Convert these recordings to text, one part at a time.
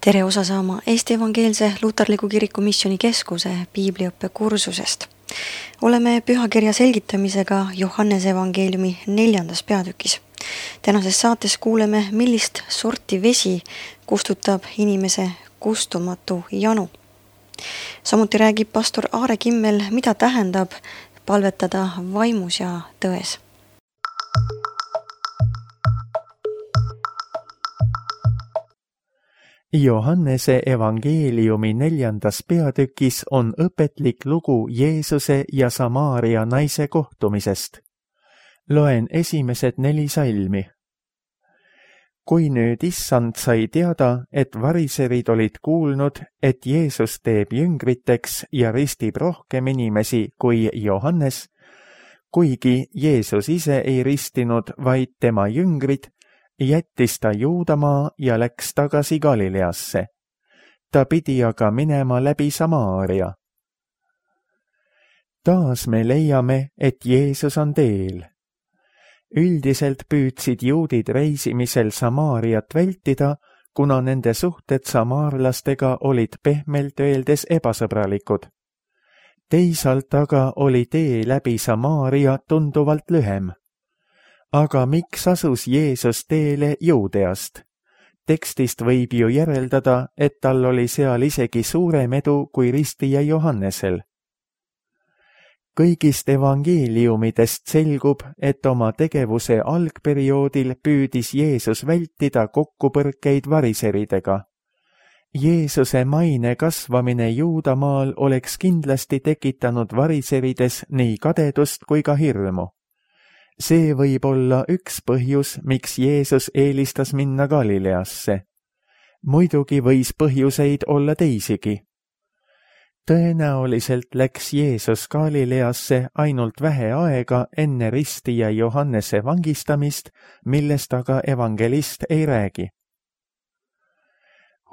Tere osa saama Eesti Evangeelse Luterliku Kiriku Missiooni Keskuse piibliõppe kursusest. Oleme pühakirja selgitamisega Johannese evangeeliumi 4. peatükis. Tänases saates kuuleme, millist sorti vesi kustutab inimese kustumatu janu. Samuti räägib pastor Aare Kimmel, mida tähendab palvetada vaimus ja tões. Johannese evangeeliumi 4. peatükis on õpetlik lugu Jeesuse ja Samaaria naise kohtumisest. Loen esimesed 4 salmi. Kui nüüd issand sai teada, et variserid olid kuulnud, et Jeesus teeb jüngriteks ja ristib rohkem inimesi kui Johannes, kuigi Jeesus ise ei ristinud, vaid tema jüngrid, jättis ta Juudamaa ja läks tagasi Galileasse. Ta pidi aga minema läbi Samaaria. Taas me leiame, et Jeesus on teel. Üldiselt püüdsid juudid reisimisel Samaariat vältida, kuna nende suhted samaarlastega olid pehmelt öeldes ebasõbralikud. Teisalt aga oli tee läbi Samaaria tunduvalt lühem. Aga miks asus Jeesus teele Juudeast? Tekstist võib ju järeldada, et tal oli seal isegi suurem edu kui ristija Johannesel. Kõigist evangeeliumidest selgub, et oma tegevuse algperioodil püüdis Jeesus vältida kokkupõrkeid variseridega. Jeesuse maine kasvamine Juudamaal oleks kindlasti tekitanud variserides nii kadedust kui ka hirmu. See võib olla üks põhjus, miks Jeesus eelistas minna Galileasse. Muidugi võis põhjuseid olla teisigi. Tõenäoliselt läks Jeesus Galileasse ainult vähe aega enne ristija Johannese vangistamist, millest aga evangelist ei räägi.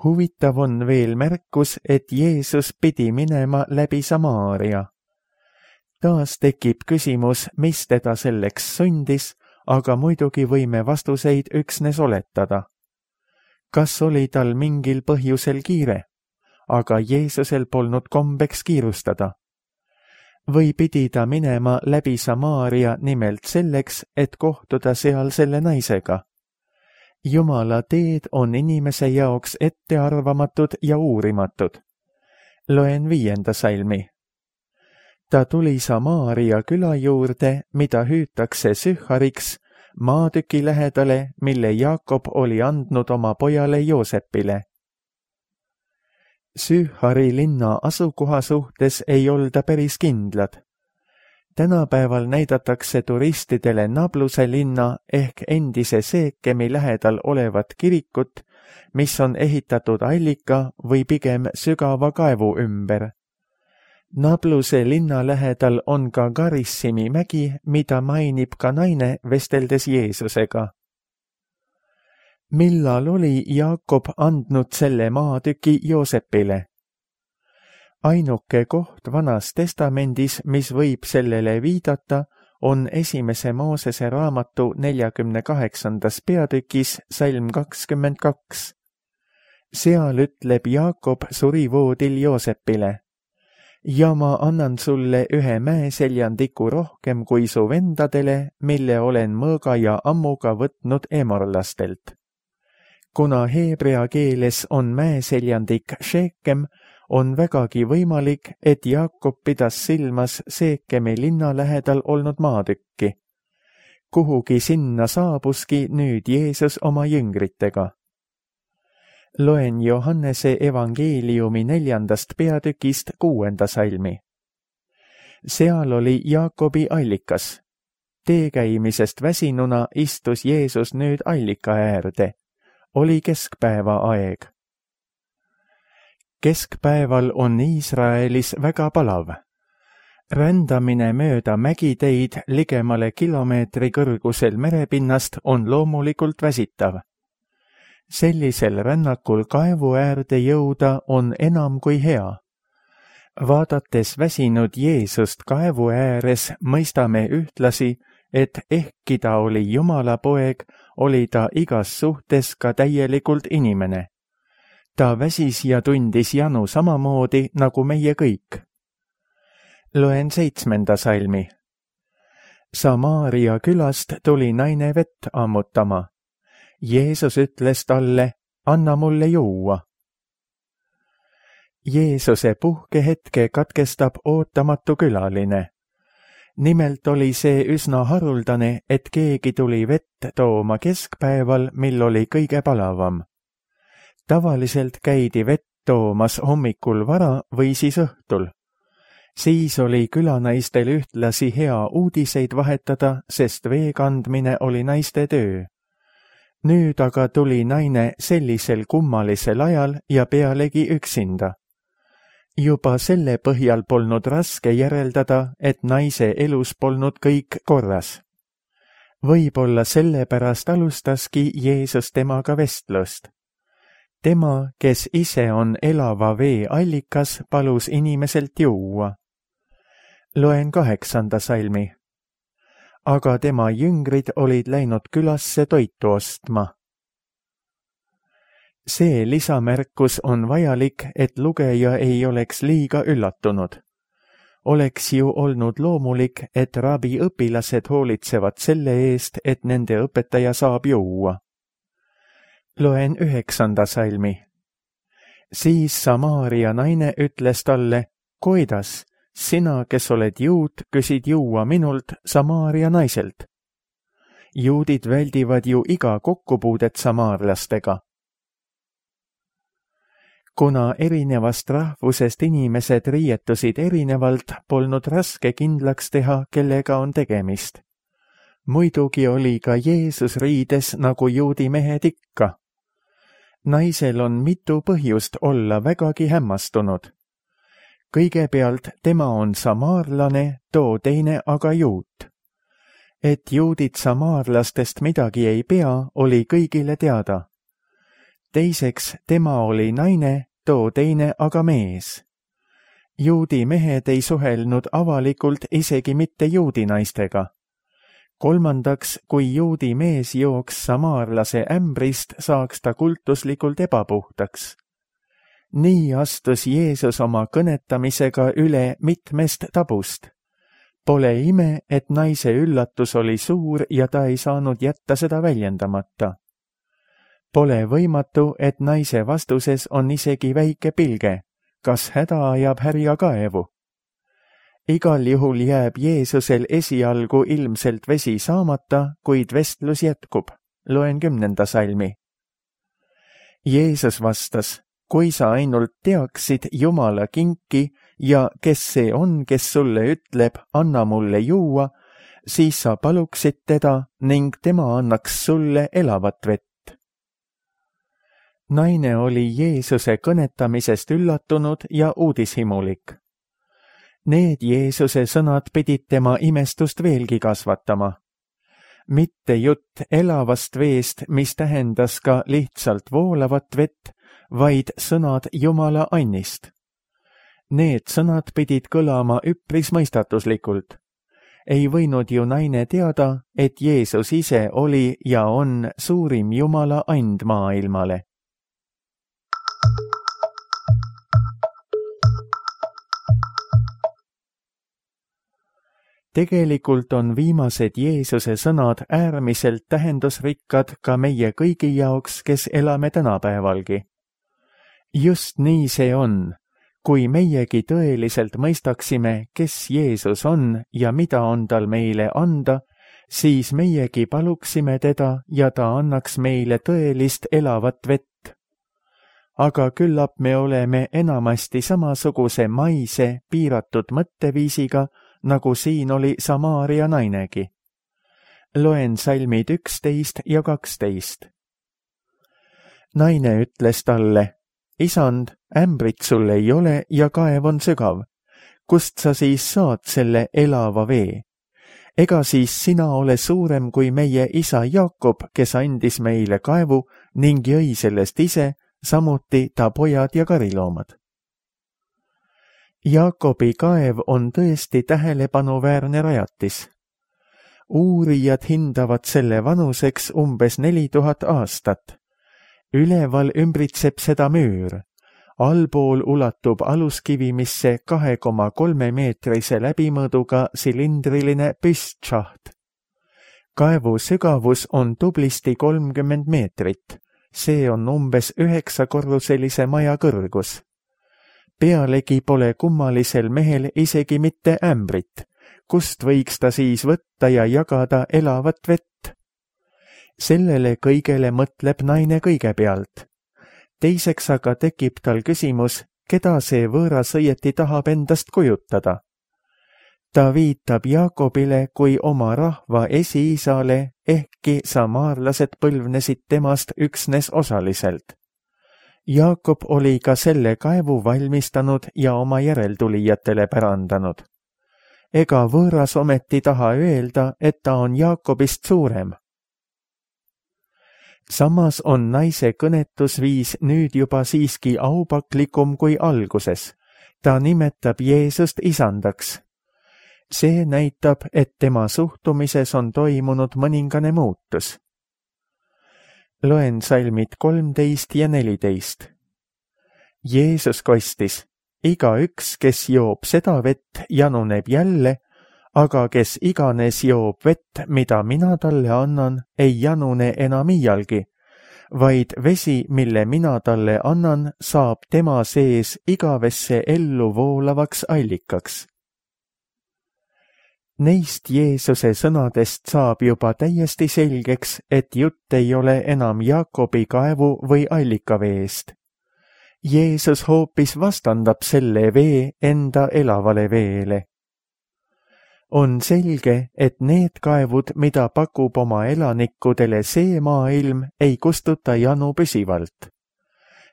Huvitav on veel märkus, et Jeesus pidi minema läbi Samaaria. Taas tekib küsimus, mis teda selleks sundis, aga muidugi võime vastuseid üksnes oletada. Kas oli tal mingil põhjusel kiire? Aga Jeesusel polnud kombeks kiirustada. Või pidi ta minema läbi Samaaria nimelt selleks, et kohtuda seal selle naisega? Jumala teed on inimese jaoks ettearvamatud ja uurimatud. Loen 5. salmi. Ta tuli Samaaria küla juurde, mida hüütakse Sühhariks, maatüki lähedale, mille Jaakob oli andnud oma pojale Joosepile. Sühhari linna asukoha suhtes ei olda päris kindlad. Tänapäeval näidatakse turistidele Nabluse linna ehk endise Seekemi lähedal olevat kirikut, mis on ehitatud allika või pigem sügava kaevu ümber. Nabluse linna lähedal on ka Garissimi mägi, mida mainib ka naine vesteldes Jeesusega. Millal oli Jaakob andnud selle maatüki Joosepile? Ainuke koht Vanas testamendis, mis võib sellele viidata, on 1. Moosese raamatu 48. peatükis salm 22. Seal ütleb Jaakob surivoodil Joosepile: ja ma annan sulle ühe mäeseljandiku rohkem kui su vendadele, mille olen mõõga ja ammuga võtnud emorlastelt. Kuna heebrea keeles on mäeseljandik Šekem, on vägagi võimalik, et Jaakob pidas silmas Seekemi linna lähedal olnud maatükki. Kuhugi sinna saabuski nüüd Jeesus oma jüngritega. Loen Johannese evangeeliumi 4. peatükist 6. salmi. Seal oli Jaakobi allikas. Teekäimisest väsinuna istus Jeesus nüüd allika äärde. Oli keskpäeva aeg. Keskpäeval on Iisraelis väga palav. Rändamine mööda mägiteid ligemale kilomeetri kõrgusel merepinnast on loomulikult väsitav. Sellisel rännakul kaevu äärde jõuda on enam kui hea. Vaadates väsinud Jeesust kaevu ääres, mõistame ühtlasi, et ehkki ta oli Jumala poeg, oli ta igas suhtes ka täielikult inimene. ta väsis ja tundis janu samamoodi nagu meie kõik. Loen 7. salmi. Samaaria külast tuli naine vett ammutama. Jeesus ütles talle, anna mulle juua. Jeesuse puhkehetke katkestab ootamatu külaline. Nimelt oli see üsna haruldane, et keegi tuli vett tooma keskpäeval, mil oli kõige palavam. Tavaliselt käidi vett toomas hommikul vara või siis õhtul. Siis oli külanaistel ühtlasi hea uudiseid vahetada, sest vee kandmine oli naiste töö. Nüüd aga tuli naine sellisel kummalisel ajal ja pealegi üksinda. Juba selle põhjal polnud raske järeldada, et naise elus polnud kõik korras. Võib-olla sellepärast alustaski Jeesus temaga vestlust. Tema, kes ise on elava vee allikas, palus inimeselt juua. Loen 8. salmi. Aga tema jüngrid olid läinud külasse toitu ostma. See lisamärkus on vajalik, et lugeja ei oleks liiga üllatunud. Oleks ju olnud loomulik, et rabi õpilased hoolitsevad selle eest, et nende õpetaja saab juua. Loen 9. salmi. Siis Samaaria naine ütles talle, kuidas, sina, kes oled juut, küsid juua minult, Samaaria naiselt. Juudid väldivad ju iga kokkupuudet samaarlastega. Kuna erinevast rahvusest inimesed riietusid erinevalt, polnud raske kindlaks teha, kellega on tegemist. Muidugi oli ka Jeesus riides nagu juudi mehed ikka. Naisel on mitu põhjust olla vägagi hämmastunud. Kõigepealt tema on samaarlane, too teine aga juut. Et juudid samaarlastest midagi ei pea, oli kõigile teada. Teiseks, tema oli naine, too teine aga mees. Juudi mehed ei suhelnud avalikult isegi mitte juudi naistega. Kolmandaks, kui juudi mees jooks samaarlase ämbrist, saaks ta kultuslikult ebapuhtaks. Nii astus Jeesus oma kõnetamisega üle mitmest tabust. Pole ime, et naise üllatus oli suur ja ta ei saanud jätta seda väljendamata. Pole võimatu, et naise vastuses on isegi väike pilge, kas häda ajab härja kaevu. Igal juhul jääb Jeesusel esialgu ilmselt vesi saamata, kuid vestlus jätkub. Loen 10. salmi. Jeesus vastas, kui sa ainult teaksid Jumala kinki ja kes see on, kes sulle ütleb, anna mulle juua, siis sa paluksid teda ning tema annaks sulle elavat vett. Naine oli Jeesuse kõnetamisest üllatunud ja uudishimulik. Need Jeesuse sõnad pidid tema imestust veelgi kasvatama. Mitte jutt elavast veest, mis tähendas ka lihtsalt voolavat vett, vaid sõnad Jumala annist. Need sõnad pidid kõlama üpris mõistatuslikult. Ei võinud ju naine teada, et Jeesus ise oli ja on suurim Jumala and maailmale. Tegelikult on viimased Jeesuse sõnad äärmiselt tähendusrikkad ka meie kõigi jaoks, kes elame tänapäevalgi. Just nii see on, kui meiegi tõeliselt mõistaksime, kes Jeesus on ja mida on tal meile anda, siis meiegi paluksime teda ja ta annaks meile tõelist elavat vett. Aga küllap me oleme enamasti samasuguse maise, piiratud mõtteviisiga, nagu siin oli Samaaria nainegi. Loen salmid 11 ja 12. Naine ütles talle, isand, ämbrit sul ei ole ja kaev on sügav. Kust sa siis saad selle elava vee? Ega siis sina ole suurem kui meie isa Jaakob, kes andis meile kaevu ning jõi sellest ise, samuti ta pojad ja kariloomad. Jaakobi kaev on tõesti tähelepanuväärne rajatis. Uurijad hindavad selle vanuseks umbes 4000 aastat. üleval ümbritseb seda müür. Allpool ulatub aluskivimisse 2,3 meetrise läbimõõduga silindriline püstsšaht. Kaevu sügavus on tublisti 30 meetrit. See on umbes 9-korruselise maja kõrgus. Pealegi pole kummalisel mehel isegi mitte ämbrit, kust võiks ta siis võtta ja jagada elavat vett. Sellele kõigele mõtleb naine kõigepealt. Teiseks aga tekib tal küsimus, keda see võõras õieti tahab endast kujutada. Ta viitab Jaakobile kui oma rahva esiisale, ehkki samaarlased põlvnesid temast üksnes osaliselt. Jaakob oli ka selle kaevu valmistanud ja oma järeltulijatele pärandanud. Ega võõras ometi taha öelda, et ta on Jaakobist suurem. Samas on naise kõnetusviis nüüd juba siiski aupaklikum kui alguses. Ta nimetab Jeesust isandaks. See näitab, et tema suhtumises on toimunud mõningane muutus. Loen salmid 13 ja 14. Jeesus kostis, igaüks, kes joob seda vett, januneb jälle, aga kes iganes joob vett, mida mina talle annan, ei janune enam iialgi, vaid vesi, mille mina talle annan, saab tema sees igavesse ellu voolavaks allikaks. Neist Jeesuse sõnadest saab juba täiesti selgeks, et jutt ei ole enam Jaakobi kaevu või allikaveest. Jeesus hoopis vastandab selle vee enda elavale veele. On selge, et need kaevud, mida pakub oma elanikudele see maailm, ei kustuta janu püsivalt.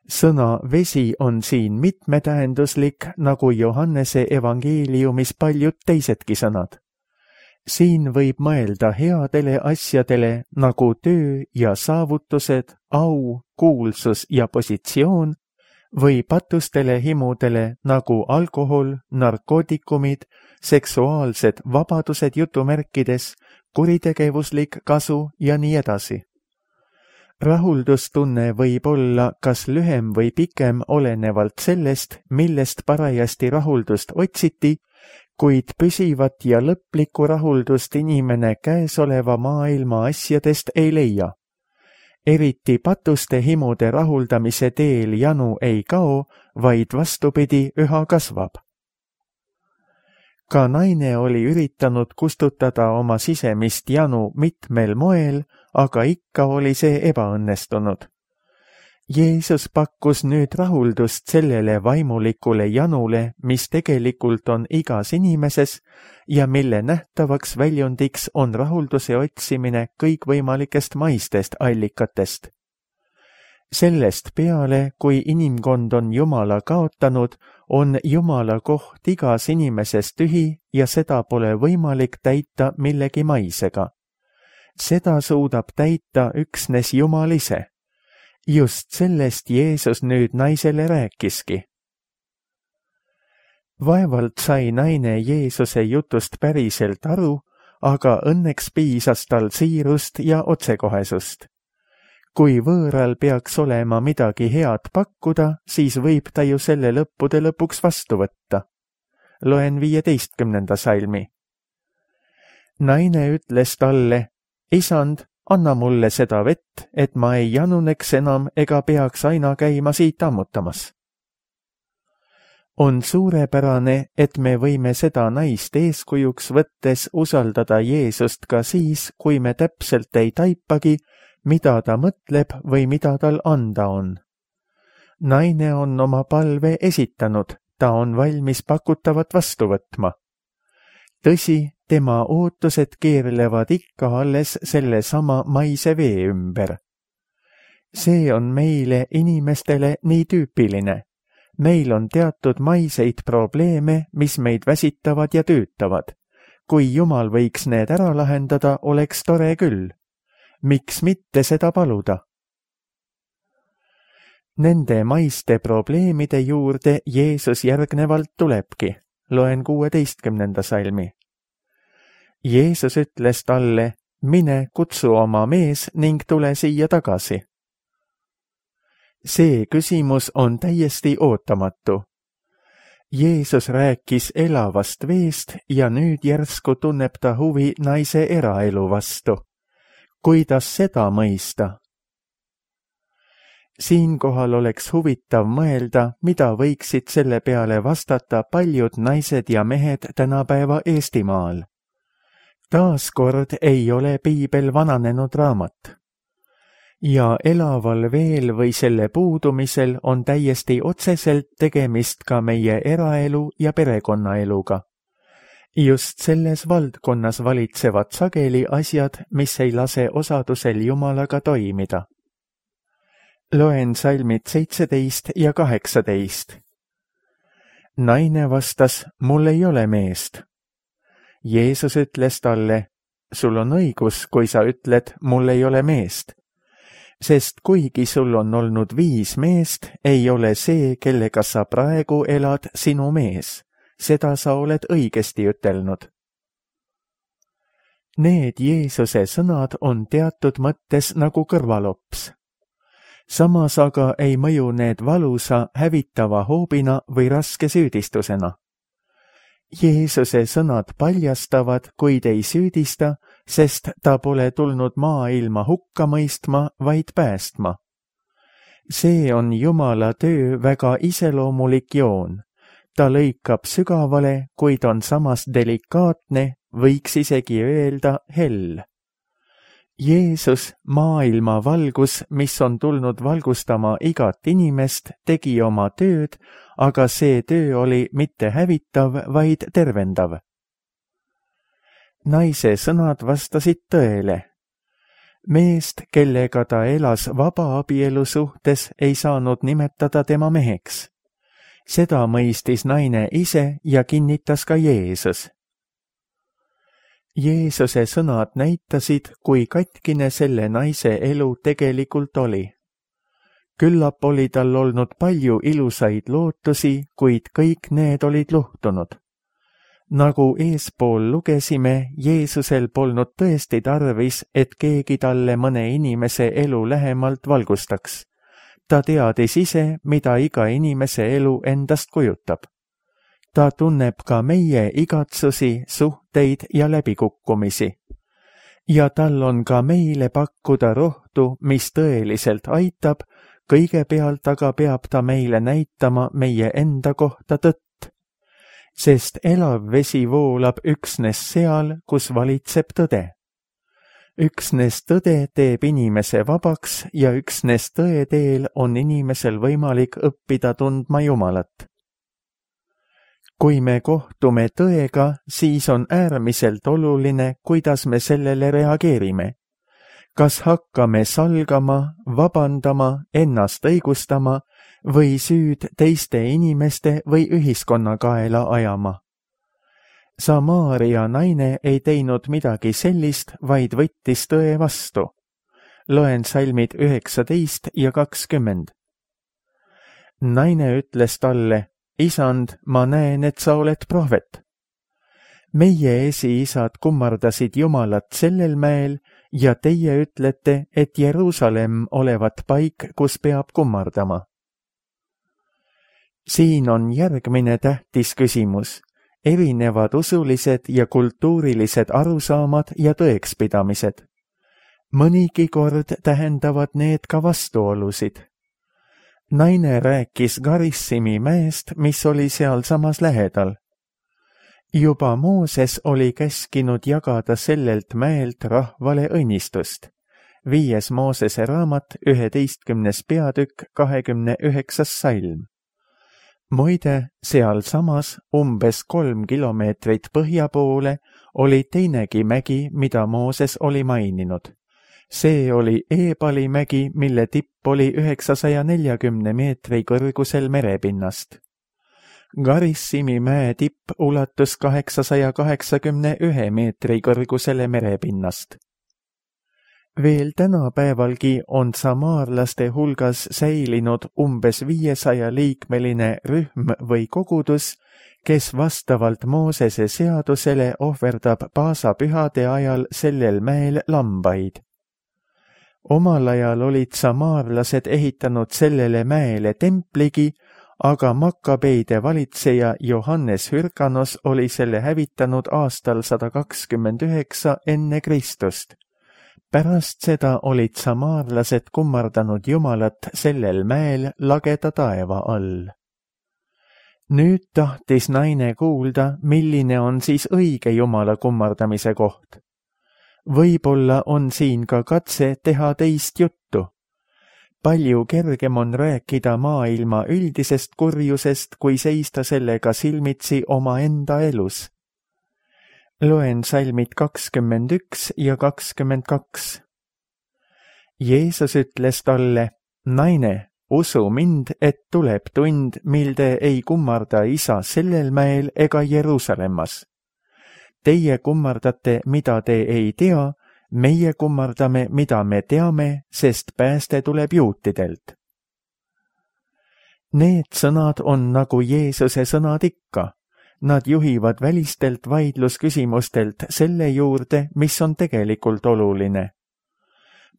Sõna vesi on siin mitmetähenduslik, nagu Johannese evangeeliumis paljud teisedki sõnad. Siin võib mõelda headele asjadele nagu töö ja saavutused, au, kuulsus ja positsioon või patustele himudele nagu alkohol, narkootikumid, seksuaalsed vabadused jutumärkides, kuritegevuslik kasu ja nii edasi. Rahuldustunne võib olla kas lühem või pikem olenevalt sellest, millest parajasti rahuldust otsiti, kuid püsivat ja lõplikku rahuldust inimene käesoleva maailma asjadest ei leia. Eriti patuste himude rahuldamise teel janu ei kao, vaid vastupidi üha kasvab. Ka naine oli üritanud kustutada oma sisemist janu mitmel moel, aga ikka oli see ebaõnnestunud. Jeesus pakkus nüüd rahuldust sellele vaimulikule janule, mis tegelikult on igas inimeses ja mille nähtavaks väljundiks on rahulduse otsimine kõikvõimalikest maistest allikatest. Sellest peale, kui inimkond on Jumala kaotanud, on Jumala koht igas inimeses tühi ja seda pole võimalik täita millegi maisega. Seda suudab täita üksnes Jumal ise. Just sellest Jeesus nüüd naisele rääkiski. Vaevalt sai naine Jeesuse jutust päriselt aru, aga õnneks piisas tal siirust ja otsekohesust. Kui võõral peaks olema midagi head pakkuda, siis võib ta ju selle lõppude lõpuks vastu võtta. Loen 15. salmi. Naine ütles talle, isand, anna mulle seda vett, et ma ei januneks enam ega peaks aina käima siit ammutamas. On suurepärane, et me võime seda naist eeskujuks võttes usaldada Jeesust ka siis, kui me täpselt ei taipagi, mida ta mõtleb või mida tal anda on. Naine on oma palve esitanud, ta on valmis pakutavat vastu võtma. Tõsi, tema ootused keerlevad ikka alles sellesama maise vee ümber. See on meile, inimestele, nii tüüpiline. Meil on teatud maiseid probleeme, mis meid väsitavad ja töötavad. Kui Jumal võiks need ära lahendada, oleks tore küll. Miks mitte seda paluda? Nende maiste probleemide juurde Jeesus järgnevalt tulebki. Loen 16. salmi. Jeesus ütles talle, mine kutsu oma mees ning tule siia tagasi. See küsimus on täiesti ootamatu. Jeesus rääkis elavast veest ja nüüd järsku tunneb ta huvi naise eraelu vastu. Kuidas seda mõista? Siinkohal oleks huvitav mõelda, mida võiksid selle peale vastata paljud naised ja mehed tänapäeva Eestimaal. Taaskord ei ole piibel vananenud raamat. Ja elaval veel või selle puudumisel on täiesti otseselt tegemist ka meie eraelu ja perekonnaeluga. Just selles valdkonnas valitsevad sageli asjad, mis ei lase osadusel Jumalaga toimida. Loen salmid 17 ja 18. Naine vastas, mul ei ole meest. Jeesus ütles talle, sul on õigus, kui sa ütled, mul ei ole meest. Sest kuigi sul on olnud 5 meest, ei ole see, kellega sa praegu elad, sinu mees. Seda sa oled õigesti ütelnud. Need Jeesuse sõnad on teatud mõttes nagu kõrvalops. Samas aga ei mõju need valusa, hävitava hoobina või raske süüdistusena. Jeesuse sõnad paljastavad, kuid ei süüdista, sest ta pole tulnud maailma hukka mõistma, vaid päästma. See on Jumala töö väga iseloomulik joon. Ta lõikab sügavale, kuid on samas delikaatne, võiks isegi öelda hell. Jeesus, maailma valgus, mis on tulnud valgustama igat inimest, tegi oma tööd, aga see töö oli mitte hävitav, vaid tervendav. Naise sõnad vastasid tõele. Meest, kellega ta elas vabaabielu suhtes, ei saanud nimetada tema meheks. Seda mõistis naine ise ja kinnitas ka Jeesus. Jeesuse sõnad näitasid, kui katkine selle naise elu tegelikult oli. Küllap oli tal olnud palju ilusaid lootusi, kuid kõik need olid luhtunud. Nagu eespool lugesime, Jeesusel polnud tõesti tarvis, et keegi talle mõne inimese elu lähemalt valgustaks. Ta teadis ise, mida iga inimese elu endast kujutab. Ta tunneb ka meie igatsusi, suhteid ja läbikukkumisi. Ja tal on ka meile pakkuda rohtu, mis tõeliselt aitab, kõigepealt aga peab ta meile näitama meie enda kohta tõtt. Sest elav vesi voolab üksnes seal, kus valitseb tõde. Üksnes tõde teeb inimese vabaks ja üksnes tõe teel on inimesel võimalik õppida tundma Jumalat. Kui me kohtume tõega, siis on äärmiselt oluline, kuidas me sellele reageerime. Kas hakkame salgama, vabandama, ennast õigustama või süüd teiste inimeste või ühiskonna kaela ajama? Samaaria naine ei teinud midagi sellist, vaid võttis tõe vastu. Loen salmid 19 ja 20. Naine ütles talle, Isand, ma näen, et sa oled prohvet. Meie esiisad kummardasid Jumalat sellel mäel ja teie ütlete, et Jeruusalemm olevat paik, kus peab kummardama. Siin on järgmine tähtis küsimus. Erinevad usulised ja kultuurilised arusaamad ja tõekspidamised. Mõnigi kord tähendavad need ka vastuolusid. Naine rääkis Garissimi mäest, mis oli sealsamas lähedal. Juba Mooses oli käskinud jagada sellelt mäelt rahvale õnnistust. 5. Moosese raamat, 11. peatükk, 29. salm. Muide, sealsamas umbes 3 kilomeetrit põhja poole oli teinegi mägi, mida Mooses oli maininud. See oli Eebali mägi, mille tipp oli 940 meetri kõrgusel merepinnast. Garissimi mäe tipp ulatus 881 meetri kõrgusele merepinnast. Veel tänapäevalgi on samaarlaste hulgas säilinud umbes 500-liikmeline rühm või kogudus, kes vastavalt Moosese seadusele ohverdab paasapühade ajal sellel mäel lambaid. Omal ajal olid samaarlased ehitanud sellele mäele templigi, aga Makabeide valitseja Johannes Hyrkanos oli selle hävitanud aastal 129 enne Kristust. Pärast seda olid samaarlased kummardanud Jumalat sellel mäel lageda taeva all. Nüüd tahtis naine kuulda, milline on siis õige Jumala kummardamise koht. Võib-olla on siin ka katse teha teist juttu. Palju kergem on rääkida maailma üldisest kurjusest, kui seista sellega silmitsi omaenda elus. Loen salmid 21 ja 22. Jeesus ütles talle, naine, usu mind, et tuleb tund, mil te ei kummarda Isa sellel mäel ega Jeruusalemmas. Teie kummardate, mida te ei tea, meie kummardame, mida me teame, sest pääste tuleb juutidelt. Need sõnad on nagu Jeesuse sõnad ikka. Nad juhivad välistelt vaidlusküsimustelt selle juurde, mis on tegelikult oluline.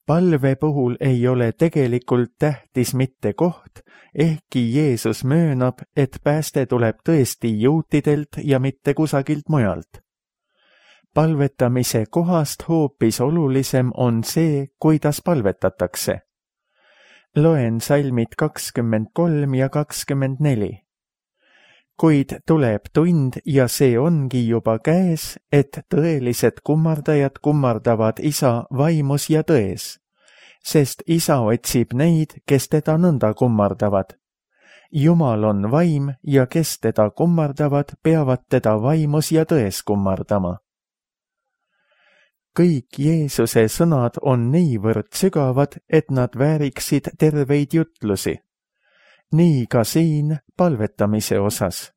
Palve puhul ei ole tegelikult tähtis mitte koht, ehkki Jeesus möönab, et pääste tuleb tõesti juutidelt ja mitte kusagilt mujalt. Palvetamise kohast hoopis olulisem on see, kuidas palvetatakse. Loen salmid 23 ja 24. Kuid tuleb tund ja see ongi juba käes, et tõelised kummardajad kummardavad Isa vaimus ja tões, sest Isa otsib neid, kes teda nõnda kummardavad. Jumal on vaim ja kes teda kummardavad, peavad teda vaimus ja tões kummardama. Kõik Jeesuse sõnad on niivõrd sügavad, et nad vääriksid terveid jutlusi. Nii ka siin palvetamise osas.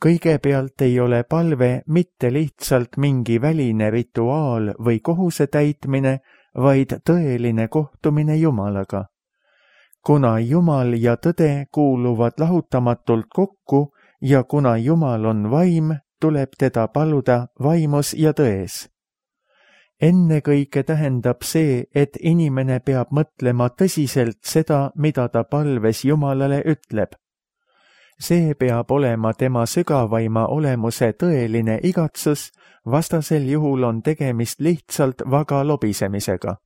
Kõigepealt ei ole palve mitte lihtsalt mingi väline rituaal või kohuse täitmine, vaid tõeline kohtumine Jumalaga. Kuna Jumal ja tõde kuuluvad lahutamatult kokku ja kuna Jumal on vaim, tuleb teda paluda vaimus ja tões. Ennekõike tähendab see, et inimene peab mõtlema tõsiselt seda, mida ta palves Jumalale ütleb. See peab olema tema sügavaima olemuse tõeline igatsus, vastasel juhul on tegemist lihtsalt vaga lobisemisega.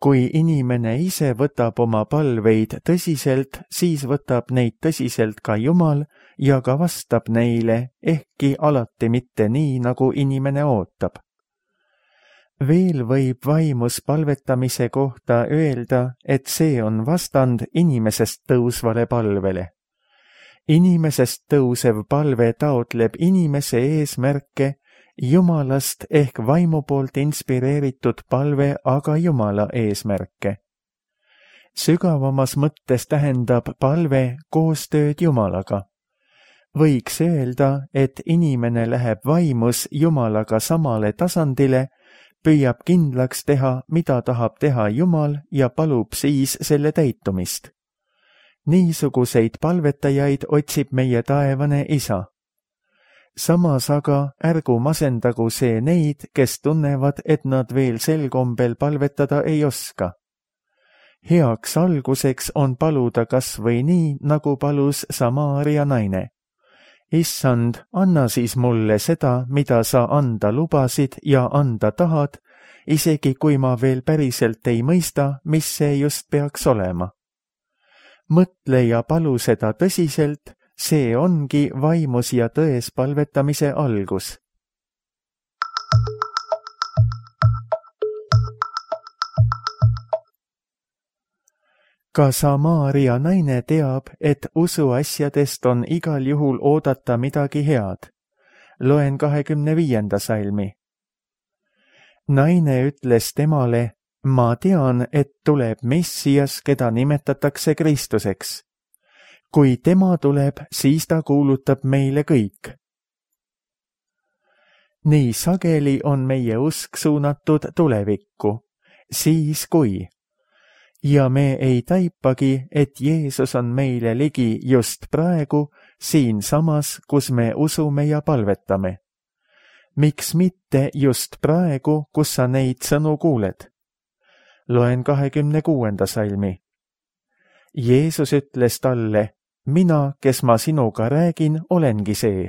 Kui inimene ise võtab oma palveid tõsiselt, siis võtab neid tõsiselt ka Jumal ja ka vastab neile, ehkki alati mitte nii, nagu inimene ootab. Veel võib vaimus palvetamise kohta öelda, et see on vastand inimesest tõusvale palvele. Inimesest tõusev palve taotleb inimese eesmärke, Jumalast ehk vaimu poolt inspireeritud palve aga Jumala eesmärke. Sügavamas mõttes tähendab palve koostööd Jumalaga. Võiks öelda, et inimene läheb vaimus Jumalaga samale tasandile, püüab kindlaks teha, mida tahab teha Jumal ja palub siis selle täitumist. Niisuguseid palvetajaid otsib meie taevane Isa. Samas aga ärgu masendagu see neid, kes tunnevad, et nad veel sel kombel palvetada ei oska. Heaks alguseks on paluda kas või nii, nagu palus Samaaria naine. Issand, anna siis mulle seda, mida sa anda lubasid ja anda tahad, isegi kui ma veel päriselt ei mõista, mis see just peaks olema. Mõtle ja palu seda tõsiselt, see ongi vaimus ja tões palvetamise algus. Ka Samaaria naine teab, et usuasjadest on igal juhul oodata midagi head. Loen 25. salmi. Naine ütles temale, ma tean, et tuleb Messias, keda nimetatakse Kristuseks. Kui tema tuleb, siis ta kuulutab meile kõik. Nii sageli on meie usk suunatud tulevikku, siis kui. Ja me ei taipagi, et Jeesus on meile ligi just praegu, siinsamas, kus me usume ja palvetame. Miks mitte just praegu, kus sa neid sõnu kuuled? Loen 26. salmi. Jeesus ütles talle, mina, kes ma sinuga räägin, olengi see.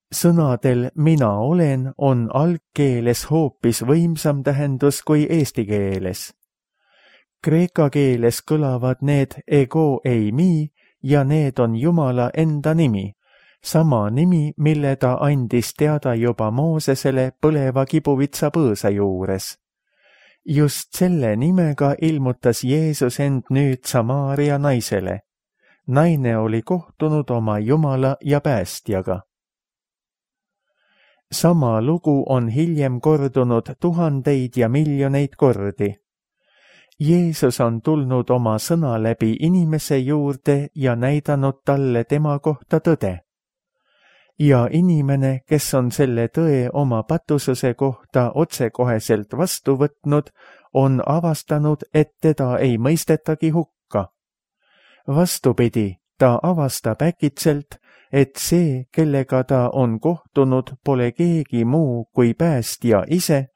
Sõnadel mina olen on algkeeles hoopis võimsam tähendus kui eesti keeles. Kreeka keeles kõlavad need ego eimi ja need on Jumala enda nimi, sama nimi, mille ta andis teada juba Moosesele põleva kibuvitsa põõsa juures. Just selle nimega ilmutas Jeesus end nüüd Samaaria naisele. Naine oli kohtunud oma Jumala ja päästjaga. Sama lugu on hiljem kordunud tuhandeid ja miljoneid kordi. Jeesus on tulnud oma sõna läbi inimese juurde ja näidanud talle tema kohta tõde. Ja inimene, kes on selle tõe oma patususe kohta otsekoheselt vastu võtnud, on avastanud, et teda ei mõistetagi hukka. Vastupidi, ta avastab äkitselt, et see, kellega ta on kohtunud, pole keegi muu kui päästja ise,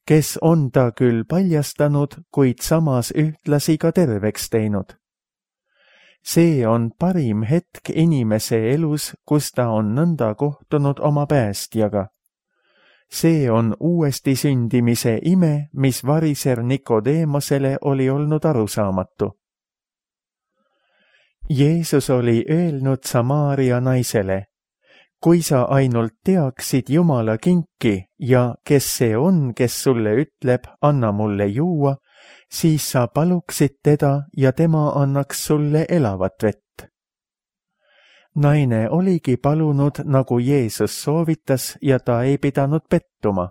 kes on ta küll paljastanud, kuid samas ühtlasi ka terveks teinud. See on parim hetk inimese elus, kus ta on nõnda kohtunud oma päästjaga. See on uuesti sündimise ime, mis variser Nikodeemosele oli olnud arusaamatu. Jeesus oli öelnud Samaaria naisele, kui sa ainult teaksid Jumala kinki ja kes see on, kes sulle ütleb, anna mulle juua, siis sa paluksid teda ja tema annaks sulle elavat vett. Naine oligi palunud, nagu Jeesus soovitas ja ta ei pidanud pettuma.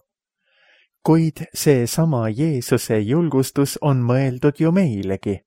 Kuid see sama Jeesuse julgustus on mõeldud ju meilegi.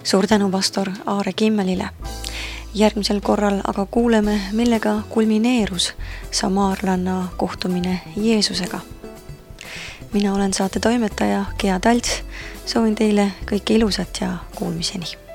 Suur tänu pastor Aare Kimmelile. Järgmisel korral aga kuuleme, millega kulmineerus samaarlanna kohtumine Jeesusega. Mina olen saate toimetaja Gea Talts. Soovin teile kõike ilusat ja kuulmiseni.